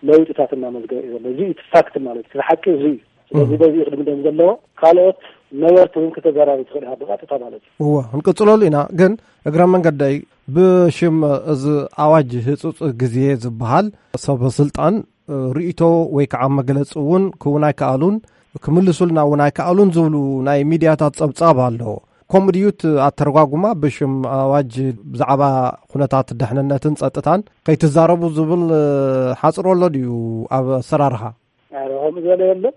ለውጥታት እናመዝገበ እዩ ዘሎ። እዚ እዩ እቲ ፋክት ማለት እዩ። እቲ ሓቂ እዚ እዩ። ስለዚ በዚ እዩ ክድምደም ዘለዎ። ካልኦት ነበርቲ እውን ክተዘራርብ ትኽእል ኢኻ ብቐጥታ ማለት እዩ። እወ፣ ክንቅጽለሉ ኢና። ግን እግረ መንገደይ፣ ብሽም እዚ ኣዋጅ ህጹጽ ግዜ ዝበሃል፣ ሰብ ስልጣን ርእይቶ ወይ ከዓ መግለጺ እውን ክውን ኣይከኣሉን፣ ክምልሱልና እውን ኣይከኣሉን ዝብሉ ናይ ሚድያታት ጸብጻብ ኣሎ። ከምኡ ድዩ እቲ ኣተረጓጉማ? ብሽም ኣዋጅ ብዛዕባ ኩነታት ደሕንነትን ጸጥታን ከይትዛረቡ ዝብል ሓጽሮ ኣሎ ድዩ ኣብ ኣሰራርሓ? ኣረ፣ ከምኡ ዝበለ የለን።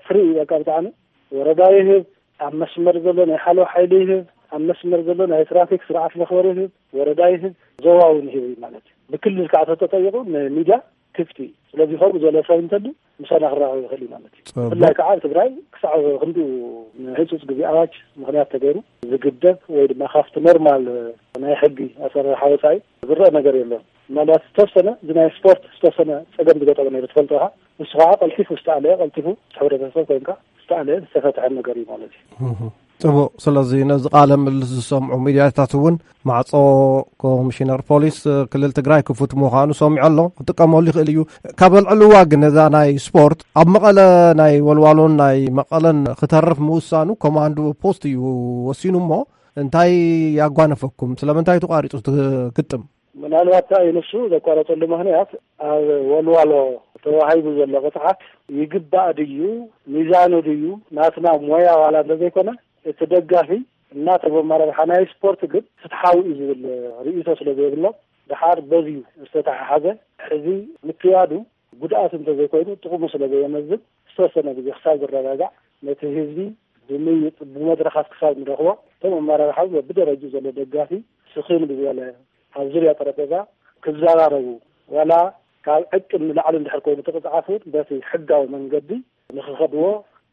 ፍሪ እዩ በቃ ብጣዕሚ። ወረዳ ይህብ፣ ኣብ መስመር ዘሎ ናይ ሓለዋ ሓይሊ ይህብ፣ ኣብ መስመር ዘሎ ናይ ትራፊክ ስርዓት መኽበሪ ይህብ፣ ወረዳ ይህብ፣ ዞባ እውን ይህብ እዩ ማለት እዩ። ብክልል ከዓ ተተጠይቑ ንሚድያ ክፍቲ እዩ። ስለዚ ከምኡ ዝበለ ሰብ እንተሉ ምሳና ክራኸብ ይኽእል እዩ ማለት እዩ። ጽቡቕ። ብፍላይ ከዓ ኣብ ትግራይ ክሳዕ ክንዲኡ ንህጹጽ ግዜ ኣዋጅ ምኽንያት ተገይሩ ዝግደብ ወይ ድማ ካብቲ ኖርማል ናይ ሕጊ ኣሰራርሓ ወፃኢ ዝረአ ነገር የለን። ምናልባት ዝተወሰነ እዚ ናይ ስፖርት ዝተወሰነ ፀገም ዝገጠመ ነይሩ ትፈልጦ ኢኻ። ንሱ ከዓ ቀልጢፉ ዝተኣለየ፣ ቀልጢፉ ምስ ሕብረተሰብ ኮይንካ ዝተኣለየ ዝተፈትሐ ነገር እዩ ማለት እዩ። እህ። ጽቡቕ። ስለዚ ነዚ ቃለ ምልልስ ዝሰምዑ ሚድያታት እውን ማዕጾ ኮሚሽነር ፖሊስ ክልል ትግራይ ክፉት ምዃኑ ሰሚዑ ኣሎ። ክጥቀመሉ ይኽእል እዩ። ካብ ኣልዕልዋ ግን እዛ ናይ ስፖርት ኣብ መቐለ ናይ ወልዋሎን ናይ መቐለን ክተርፍ ምውሳኑ ኮማንድ ፖስት እዩ ወሲኑ እሞ እንታይ ያጓነፈኩም? ስለምንታይ ተቋሪጹ እቲ ግጥም? ምናልባት እንታይ እዩ ንሱ ዘቋረጸሉ ምኽንያት ኣብ ወልዋሎ ተዋሂቡ ዘሎ ቅፅዓት ይግባእ ድዩ፣ ሚዛኑ ድዩ፣ ናትና ሞያ ዋላ እንተዘይኮነ እቲ ደጋፊ እናተበ መረብሓ ናይ ስፖርት ግን ፍትሓዊ እዩ ዝብል ርእይቶ ስለ ዘይብሎም፣ ደሓር በዚ ዝተተሓሓዘ ሕዚ ምክያዱ ጉድኣት እንተዘይኮይኑ ጥቕሙ ስለ ዘየመዝን ዝተወሰነ ግዜ ክሳብ ዝረጋጋዕ ነቲ ህዝቢ ብምይጥ ብመድረኻት ክሳብ ንረኽቦ፣ እቶም ኣመራርሓ ብደረጅኡ ዘሎ ደጋፊ ስኽን ብዝበለ ኣብ ዙርያ ጠረጴዛ ክዘራረቡ፣ ዋላ ካብ ዕቅን ንላዕሊ እንድሕር ኮይኑ እቲ ቅፅዓት እውን በቲ ሕጋዊ መንገዲ ንክኸድዎ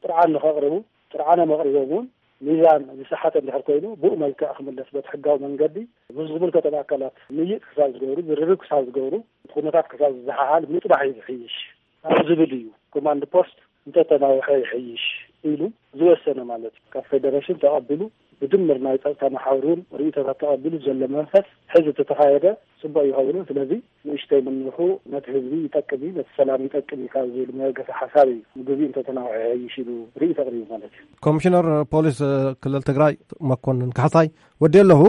ጥርዓን ንኸቕርቡ፣ ጥርዓኖም ኣቕሪቦም እውን ሚዛን ዝሰሓተ እንድሕር ኮይኑ ብኡ መልክዕ ክምለስ በቲ ሕጋዊ መንገዲ ምስ ዝምልከቶም ኣካላት ምይጥ ክሳብ ዝገብሩ፣ ዝርርብ ክሳብ ዝገብሩ፣ ኩነታት ክሳብ ዝዘሓሓል ምጥባሕ እዩ ዝሕይሽ ኣብ ዝብል እዩ ኮማንድ ፖስት እንተተናውሐ ይሕይሽ ኢሉ ዝወሰነ ማለት እዩ። ካብ ፌደሬሽን ተቐቢሉ ብድምር ናይ ጸጥታ መሓውር እውን ርእይቶታት ተቐቢሉ ዘሎ መንፈስ ሕዚ ተተኻየደ ጽቡቕ ይኸውን። ስለዚ ንእሽተይ ምንውሑ ነቲ ህዝቢ ይጠቅም እዩ፣ ነቲ ሰላም ይጠቅም እዩ ካብ ዝብል መበገሲ ሓሳብ እዩ ንግዜኡ እንተተናውሐ ይሕይሽ ኢሉ ርእይቶ ኣቕሪቡ ማለት እዩ። ኮሚሽነር ፖሊስ ክልል ትግራይ መኮንን ካሕሳይ ወዲ ኣለኹ፣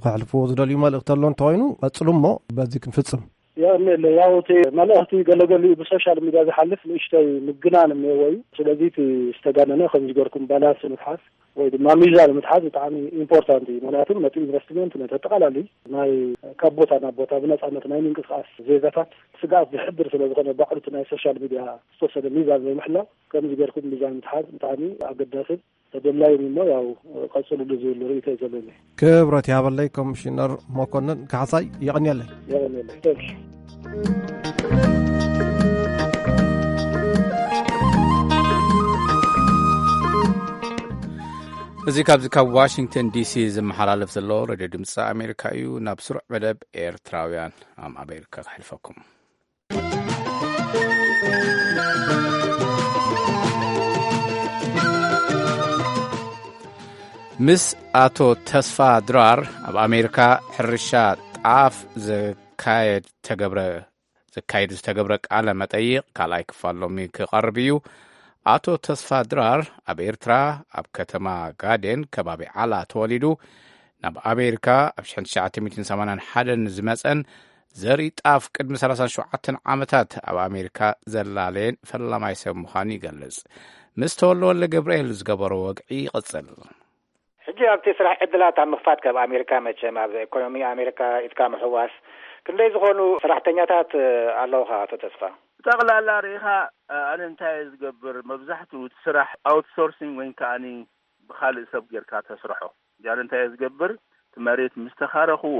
ከሕልፍዎ ዝደልዩ መልእኽቲ ኣሎ እንተኾይኑ ቀጽሉ እሞ በዚ ክንፍጽም። የቐንየለይ። ያው እቲ መልእኽቲ ገለገሊኡ ብሶሻል ሚድያ ዝሓልፍ ንእሽተይ ምግናን እኒአዎ እዩ። ስለዚ እቲ ዝተጋነነ ከምዚ ገርኩም ባላንስ ምትሓዝ ወይ ድማ ሚዛን ምትሓዝ ብጣዕሚ ኢምፖርታንት እዩ። ምክንያቱ ነቲ ኢንቨስትመንት ነቲ ኣጠቓላሊ ናይ ካብ ቦታ ናብ ቦታ ብነፃነት ናይ ምንቅስቃስ ዜጋታት ስግኣት ዝሕድር ስለ ዝኾነ ባዕሉ እቲ ናይ ሶሻል ሚድያ ዝተወሰነ ሚዛን ዘይምሕላው ከምዚ ገርኩም ሚዛን ምትሓዝ ብጣዕሚ ኣገዳስን ተደላይን እሞ ያው ቀፅሉሉ ዝብል ርእይቶ እዩ ዘለኒ። ክብረት ይሃበለይ ኮሚሽነር መኮንን ካሕሳይ፣ የቐንየለይ። የቐንየለይ። Thank you። እዚ ካብዚ ካብ ዋሽንግተን ዲሲ ዝመሓላለፍ ዘሎ ሬድዮ ድምፂ ኣሜሪካ እዩ። ናብ ስሩዕ መደብ ኤርትራውያን ኣብ ኣሜሪካ ከሕልፈኩም። ምስ ኣቶ ተስፋ ድራር ኣብ ኣሜሪካ ሕርሻ ጣፍ ዘካየድ ተገብረ ዘካየድ ዝተገብረ ቃለ መጠይቕ ካልኣይ ክፋል ሎሚ ክቐርብ እዩ። ኣቶ ተስፋ ድራር ኣብ ኤርትራ ኣብ ከተማ ጋዴን ከባቢ ዓላ ተወሊዱ ናብ ኣሜሪካ ኣብ ሽሕን ትሽዓተ ሚእትን ሰማንያን ሓደን ዝመጸን ዘርኢ ጣፍ ቅድሚ ሰላሳን ሸውዓተን ዓመታት ኣብ ኣሜሪካ ዘላለየን ፈላማይ ሰብ ምዃኑ ይገልጽ። ምስ ተወልደ ወልደ ገብርኤል ዝገበሮ ወግዒ ይቕጽል። ሕጂ ኣብቲ ስራሕ ዕድላት ኣብ ምኽፋት ካብ ኣሜሪካ መቸም ኣብ ኢኮኖሚ ኣሜሪካ ኢድካ ምሕዋስ ክንደይ ዝኾኑ ሰራሕተኛታት ኣለውኻ ኣቶ ተስፋ? ብጠቕላላ ርኢኻ ኣነ እንታይ እየ ዝገብር፣ መብዛሕትኡ እቲ ስራሕ ኣውትሶርሲንግ ወይ ከዓኒ ብኻልእ ሰብ ጌርካ ተስርሖ። ያለ እንታይ እየ ዝገብር፣ እቲ መሬት ምስ ተኻረኽዎ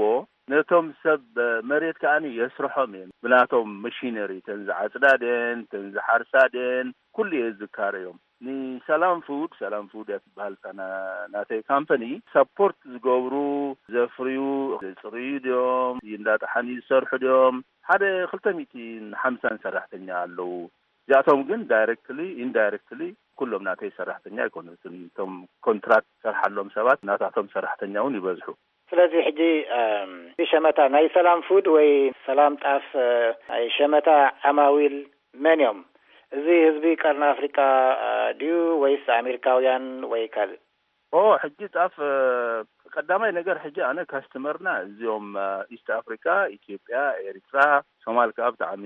ነቶም ሰብ መሬት ከዓኒ የስርሖም እየ። ብናቶም መሽነሪ፣ ተን ዝዓጽዳ ደን፣ ተን ዝሓርሳ ደን፣ ኩሉ እየ ዝካረዮም። ንሰላም ፉድ፣ ሰላም ፉድ እያ ትበሃል እታ ና-፣ ናተይ ካምፓኒ፣ ሰፖርት ዝገብሩ፣ ዘፍርዩ፣ ዘጽርዩ ድዮም፣ እንዳጠሓኒ ዝሰርሑ ድዮም፣ ሓደ ክልተ ሚእትን ሓምሳን ሰራሕተኛ ኣለዉ። እዚኣቶም ግን ዳይሬክትሊ፣ ኢንዳይሬክትሊ ኩሎም ናተይ ሰራሕተኛ ኣይኮኑን። እቶም ኮንትራት ሰርሓሎም ሰባት ናታቶም ሰራሕተኛ እውን ይበዝሑ። ስለዚ ሕጂ፣ እም፣ ሸመታ ናይ ሰላም ፉድ ወይ ሰላም ጣፍ፣ እ፣ ናይ ሸመታ ዓማዊል መን እዮም? እዚ ህዝቢ ቀርኒ ኣፍሪቃ፣ እ፣ ድዩ ወይስ ኣሜሪካውያን ወይ ካልእ? ኦ፣ ሕጂ ጣፍ፣ እ፣ ቀዳማይ ነገር ሕጂ ኣነ ካስተመርና እዚኦም፣ እ፣ ኢስት ኣፍሪቃ፣ ኢትዮጵያ፣ ኤሪትራ፣ ሶማል ከኣ ብጣዕሚ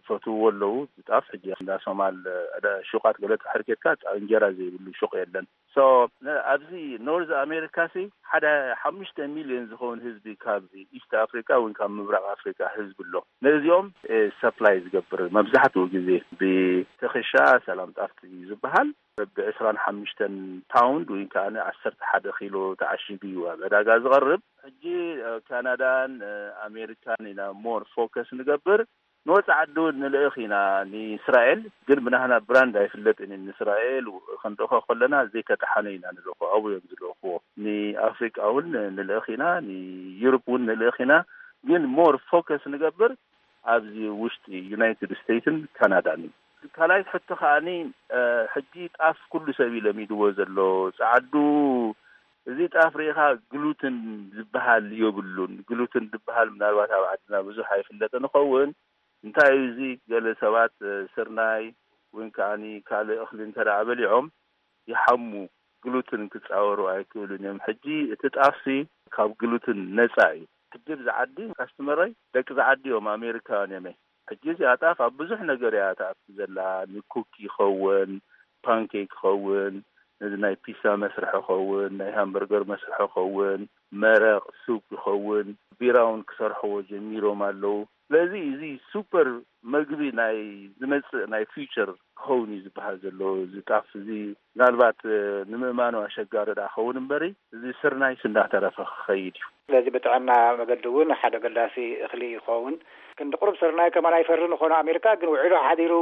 ፈትውዎ ኣለዉ። ጣፍ ሕጂ እንዳ ሶማል፣ እ፣ ደ-፣ ሹቃት ገለ ድሕር ኬድካ ጣ-፣ እንጀራ ዘይብሉ ሹቅ የለን። ሶ፣ ነ-፣ ኣብዚ ኖርዝ ኣሜሪካ ሲ ሓደ ሓሙሽተ ሚልዮን ዝኸውን ህዝቢ ካብ ኢስት ኣፍሪካ ወይ ካብ ምብራቕ ኣፍሪካ ህዝቢ ኣሎ። ነዚኦም፣ እ፣ ሰፕላይ ዝገብር መብዛሕትኡ ግዜ ብተኸሻ ሰላም ጣፍቲ እዩ ዝበሃል። ብዕስራን ሓሙሽተን ፓውንድ ወይ ከዓ ዓሰርተ ሓደ ኪሎ ተዓሺጉ እዩ ኣብ ዕዳጋ ዝቐርብ። ሕጂ፣ እ፣ ካናዳን፣ እ፣ ኣሜሪካን ኢና ሞር ፎከስ ንገብር። ንወፃኢ ዓዲ እውን ንልእኽ ኢና። ንእስራኤል ግን ብናህና ብራንድ ኣይፍለጥን እዩ። ንእስራኤል ክንልእኾ ከለና ዘይተጠሓነ ኢና ንልእኾ፣ ኣብኡ እዮም ዝልእኽዎ። ንኣፍሪቃ እውን ንልእኽ ኢና፣ ንዩሮፕ እውን ንልእኽ ኢና። ግን ሞር ፎከስ ንገብር ኣብዚ ውሽጢ ዩናይትድ ስቴትስን ካናዳን እዩ። ካልኣይ ሕቶ ከዓኒ፣ እ፣ ሕጂ ጣፍ ኩሉ ሰብ እዩ ለሚድዎ ዘሎ። ጸዓዱ፣ እዚ ጣፍ ርኢኻ ግሉትን ዝበሃል የብሉን። ግሉትን ዝበሃል ምናልባት ኣብ ዓድና ብዙሕ ኣይፍለጥን ይኸውን። እንታይ እዩ እዚ? ገለ ሰባት፣ እ፣ ስርናይ ወይ ከዓኒ ካልእ እኽሊ እንተ ደኣ በሊዖም ይሓሙ፣ ግሉትን ክጻወሩ ኣይክእሉን እዮም። ሕጂ እቲ ጣፍሲ ካብ ግሉትን ነጻ እዩ። ሕጂ ኣብዚ ዓዲ ካስተመረይ ደቂ ዝዓዲ እዮም፣ ኣሜሪካውያን እዮም። ሕጂ እዚኣ ጣፍ ኣብ ብዙሕ ነገር እያ ትኣቱ ዘላ፣ ንኩክ ይኸውን፣ ፓንኬክ ይኸውን፣ ነዚ ናይ ፒሳ መስርሒ ኸውን፣ ናይ ሃምበርገር መስርሒ ኸውን፣ መረቕ፣ ሱፕ ይኸውን፣ ቢራ እውን ክሰርሕዎ ጀሚሮም ኣለዉ። ስለዚ እዚ ሱፐር መግቢ ናይ ዝመጽእ ናይ ፊውቸር ክኸውን እዩ ዝበሃል ዘሎ። እዚ ጣፍ እዚ ምናልባት፣ እ፣ ንምእማኑ ኣሸጋሪ ደኣ ክኸውን እምበሪ፣ እዚ ስርናይስ እንዳተረፈ ክኸይድ እዩ። ስለዚ ብጥዕና መገዲ እውን ሓደ ኣገዳሲ እኽሊ ይኸውን። ክንዲ ቁሩብ ስርናይ ከማን ኣይፈርን ይኾኑ ኣሜሪካ፣ ግን ውዒሉ ሓዲሩ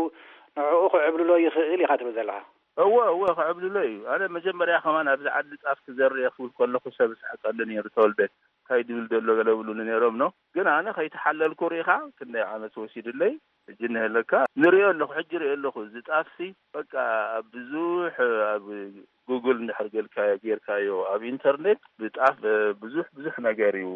ንዕኡ ክዕብልሎ ይኽእል ኢኻ ትብል ዘለኻ። እወ፣ እወ፣ ክዕብልሎ እዩ። ኣነ መጀመርያ ከማን ኣብዚ ዓዲ ጣፍ ክዘርእ እየ ክብል ከለኹ ሰብ ስሕቀሉ ነይሩ፣ ተወልደ እንታይ ድብል ዘሎ ገለ ብሉኒ ነይሮም ኖ። ግን ኣነ ከይተሓለልኩ ርኢኻ ክንደይ ዓመት ወሲድለይ፣ ሕጂ እነሀለካ ንሪኦ ኣለኹ፣ ሕጂ ሪኦ ኣለኹ። እዚ ጣፍሲ በቃ ኣብ ብዙሕ ኣብ ጉግል እንድሕር ገልካ-፣ ጌርካዮ ኣብ ኢንተርኔት ብጣፍ ብዙሕ ብዙሕ ነገር እዩ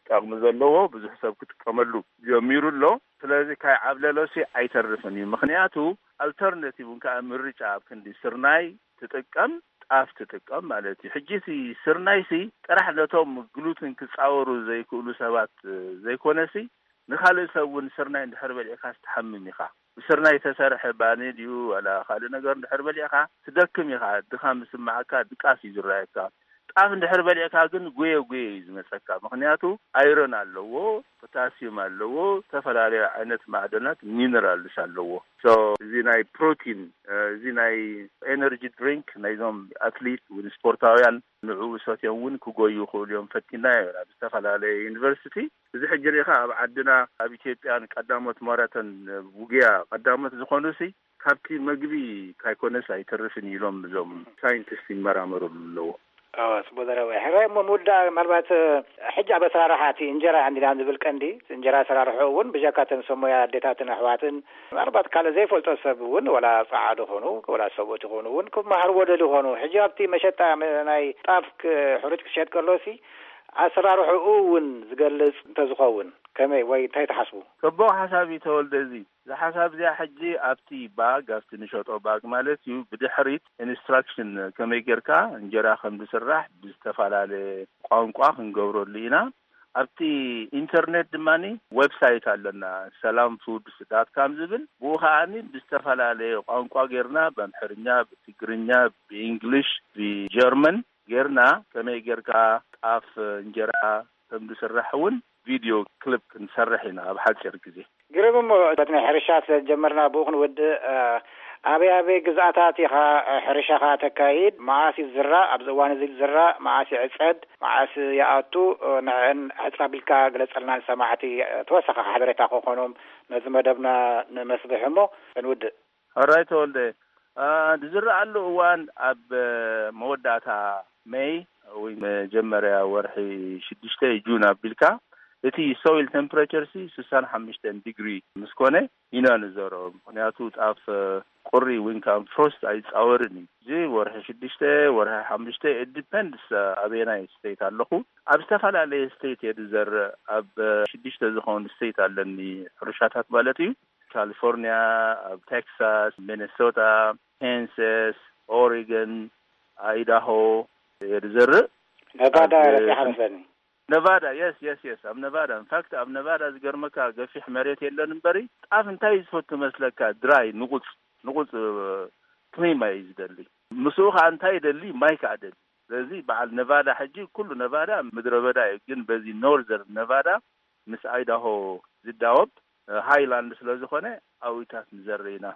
ጠቕሚ ዘለዎ፣ ብዙሕ ሰብ ክጥቀመሉ ጀሚሩ ኣሎ። ስለዚ ካይ ዓብለሎሲ ኣይተርፍን እዩ። ምኽንያቱ ኣልተርናቲቭ እውን ከዓ ምርጫ ኣብ ክንዲ ስርናይ ትጥቀም፣ ጣፍ ትጥቀም ማለት እዩ። ሕጂ ሲ ስርናይሲ ጥራሕ ነቶም ግሉትን ክጻወሩ ዘይክእሉ ሰባት ዘይኮነሲ ንኻልእ ሰብ እውን ስርናይ እንድሕር በሊዕካ ትሓምም ኢኻ። ብስርናይ ተሰርሐ ባኒ ድዩ ዋላ ካልእ ነገር እንድሕር በሊዕካ ትደክም ኢኻ። ድኻም ዝስምዓካ ድቃስ እዩ ዝረኣየካ። ጣፍ እንድሕር በሊዕካ ግን ጉየ ጉየ እዩ ዝመጸካ። ምኽንያቱ ኣይረን ኣለዎ፣ ፖታሲየም ኣለዎ፣ ዝተፈላለዩ ዓይነት ማዕደናት ሚነራልስ ኣለዎ። ሶ እዚ ናይ ፕሮቲን፣ እዚ ናይ ኤነርጂ ድሪንክ ናይዞም ኣትሊት ወይ ስፖርታውያን ንዕኡ ሰትዮም እውን ክጎዩ ይኽእሉ እዮም። ፈቲናዮ ኢና ብዝተፈላለየ ዩኒቨርሲቲ። እዚ ሕጂ ርኢኻ ኣብ ዓድና ኣብ ኢትዮጵያን ቀዳሞት ማራቶን ውግያ ቀዳሞት ዝኾኑሲ ካብቲ መግቢ ካይኮነስ ኣይተርፍን ኢሎም እዞም ሳይንቲስት ይመራመሩሉ ኣለዎ። ኣዎ፣ ጽቡቅ ዘረባ እዩ። ሕራይ እሞ ምውዳእ ምናልባት፣ እ፣ ሕጂ ኣብ ኣሰራርሓ እቲ እንጀራ እንዲና ንብል ቀንዲ፣ እቲ እንጀራ ኣሰራርሕኡ እውን ብጀካ እተን ሰሙያ ኣዴታትን ኣሕዋትን ምናልባት ካልእ ዘይፈልጦ ሰብ እውን ወላ ጸዓዱ ኾኑ ወላ ሰብኡት ይኾኑ እውን ክመሃርዎ ደልዩ ኾኑ። ሕጂ ኣብቲ መሸጣ መ-፣ ናይ ጣፍ ክ-፣ ሕሩጭ ክሸጥ ከሎሲ ኣሰራርሕኡ እውን ዝገልጽ እንተዝኸውን ከመይ ወይ እንታይ ትሓስቡ? ጽቡቕ ሓሳብ እዩ ተወልደ። እዚ እዛ ሓሳብ እዚኣ ሕጂ ኣብቲ ባግ፣ ኣብቲ ንሸጦ ባግ ማለት እዩ፣ ብድሕሪት ኢንስትራክሽን ከመይ ጌርካ እንጀራ ከም ዝስራሕ ብዝተፈላለየ ቋንቋ ክንገብረሉ ኢና። ኣብቲ ኢንተርኔት ድማኒ ዌብሳይት ኣለና፣ ሰላም ፉድስ ዳት ካም ዝብል። ብኡ ከኣኒ ብዝተፈላለየ ቋንቋ ጌርና፣ ብኣምሕርኛ፣ ብትግርኛ፣ ብኢንግሊሽ፣ ብጀርመን ጌርና ከመይ ጌርካ ጣፍ እንጀራ ከም ዝስራሕ እውን ቪድዮ ክሊፕ ክንሰርሕ ኢና ኣብ ሓጺር ግዜ። ግርም እሞ፣ በቲ ናይ ሕርሻ ስለ ዝጀመርና ብኡ ክንውድእ፣ እ፣ ኣበይ ኣበይ ግዝኣታት ኢኻ፣ እ፣ ሕርሻኻ ተካይድ? መዓስ እዩ ዝዝራእ? ኣብዚ እዋን እዚ ዝዝራእ? መዓስ ይዕጸድ? መዓስ ይኣቱ? እ፣ ንዕን ሕጽር ኣቢልካ ግለጸልና ንሰማዕቲ፣ እ፣ ተወሳኺ ሓበሬታ ክኾኖም ነዚ መደብና ንመስርሕ እሞ ክንውድእ። ሕራይ ተወልደ፣ እ፣ ዝዝረኣሉ እዋን ኣብ፣ እ፣ መወዳእታ ሜይ ወይ መጀመርያ ወርሒ ሽዱሽተ ጁን ኣቢልካ፣ እቲ ሶይል ቴምፕሬቸር ሲ ስሳን ሓሙሽተን ዲግሪ ምስ ኮነ ኢና ንዘርኦ። ምኽንያቱ ጣፍ ቁሪ ወይ ከዓ ፍሮስት ኣይጻወርን እዩ። እዚ ወርሒ ሽዱሽተ፣ ወርሒ ሓሙሽተ፣ it depends ኣበየናይ ስቴት ኣለኹ። ኣብ ዝተፈላለየ ስቴት እየ ዝዘርእ። ኣብ ሽዱሽተ ዝኾኑ ስቴት ኣለኒ፣ ሕርሻታት ማለት እዩ። ካሊፎርኒያ፣ ኣብ ቴክሳስ፣ ሚኒሶታ፣ ካንሳስ፣ ኦሪገን፣ ኣይዳሆ እየ ዝዘርእ። ነቫዳ ኣብ ረፊዓ መስለኒ። ነቫዳ፣ የስ፣ የስ፣ የስ፣ ኣብ ነቫዳ። ኢንፋክት ኣብ ነቫዳ ዝገርመካ ገፊሕ መሬት የለን እምበሪ፣ ጣፍ እንታይ ዝፈቱ መስለካ? ድራይ፣ ንቑጽ፣ ንቑጽ፣ እ፣ ክሊማ እዩ ዝደሊ። ምስኡ ኸዓ እንታይ ይደሊ? ማይ ከኣ ደሊ። ስለዚ በዓል ነቫዳ ሕጂ ኩሉ ነቫዳ ምድረ በዳ እዩ፣ ግን በዚ ኖርዘርን ነቫዳ ምስ ኣይዳሆ ዝዳወብ፣ እ፣ ሃይላንድ ስለ ዝኾነ ኣብኡታት ንዘርእ ኢና።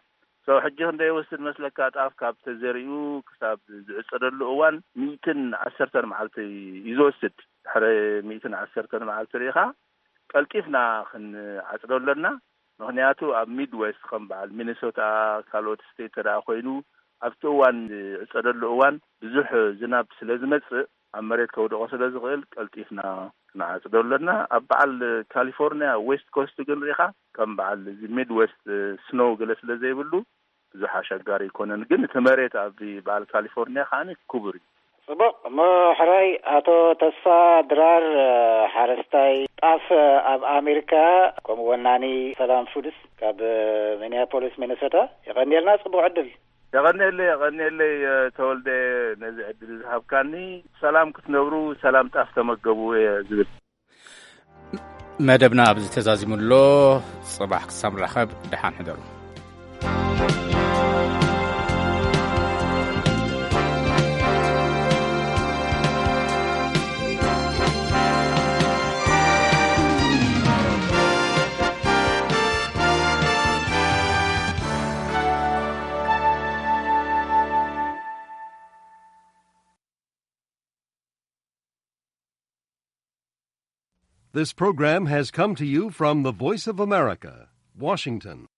ሶ ሕጂ ክንደይ ይወስድ መስለካ? ጣፍ ካብ ተዘሪኡ ክሳብ ዝዕጸደሉ እዋን ሚእትን ዓሰርተን መዓልቲ እዩ ዝወስድ። ድሕሪ ሚእትን ዓሰርተን መዓልቲ ርኢኻ ቀልጢፍና ክንዓጽዶ ኣለና። ምኽንያቱ ኣብ ሚድዌስት ከም በዓል ሚኒሶታ፣ ካልኦት ስቴት ተደኣ ኮይኑ ኣብቲ እዋን ዝዕጸደሉ እዋን ብዙሕ ዝናብ ስለ ዝመጽእ ኣብ መሬት ከውድቖ ስለ ዝኽእል ቀልጢፍና ክንዓጽዶ ኣለና። ኣብ በዓል ካሊፎርኒያ ዌስት ኮስት ግን ርኢኻ ከም በዓል እዚ ሚድዌስት ስኖው ገለ ስለ ዘይብሉ ብዙሕ ኣሸጋሪ ኣይኮነን። ግን እቲ መሬት ኣብ በዓል ካሊፎርኒያ ከዓኒ ክቡር እዩ። ጽቡቕ። እሞ ሕራይ ኣቶ ተስፋ ድራር፣ ሓረስታይ ጣፍ ኣብ ኣሜሪካ፣ ከምኡ ወናኒ ሰላም ፉድስ ካብ ሚኒያፖሊስ ሚኒሶታ፣ የቐንየልና። ጽቡቕ ዕድል። የቐንየለይ፣ የቐንየለይ፣ ተወልደ፣ ነዚ ዕድል ዝሃብካኒ። ሰላም ክትነብሩ፣ ሰላም ጣፍ ተመገቡ እየ ዝብል። መደብና ኣብዚ ተዛዚሙ ኣሎ። ጽባሕ ክሳብ ንራኸብ፣ ደሓን ሕደሩ። This program has come to you from the Voice of America, Washington.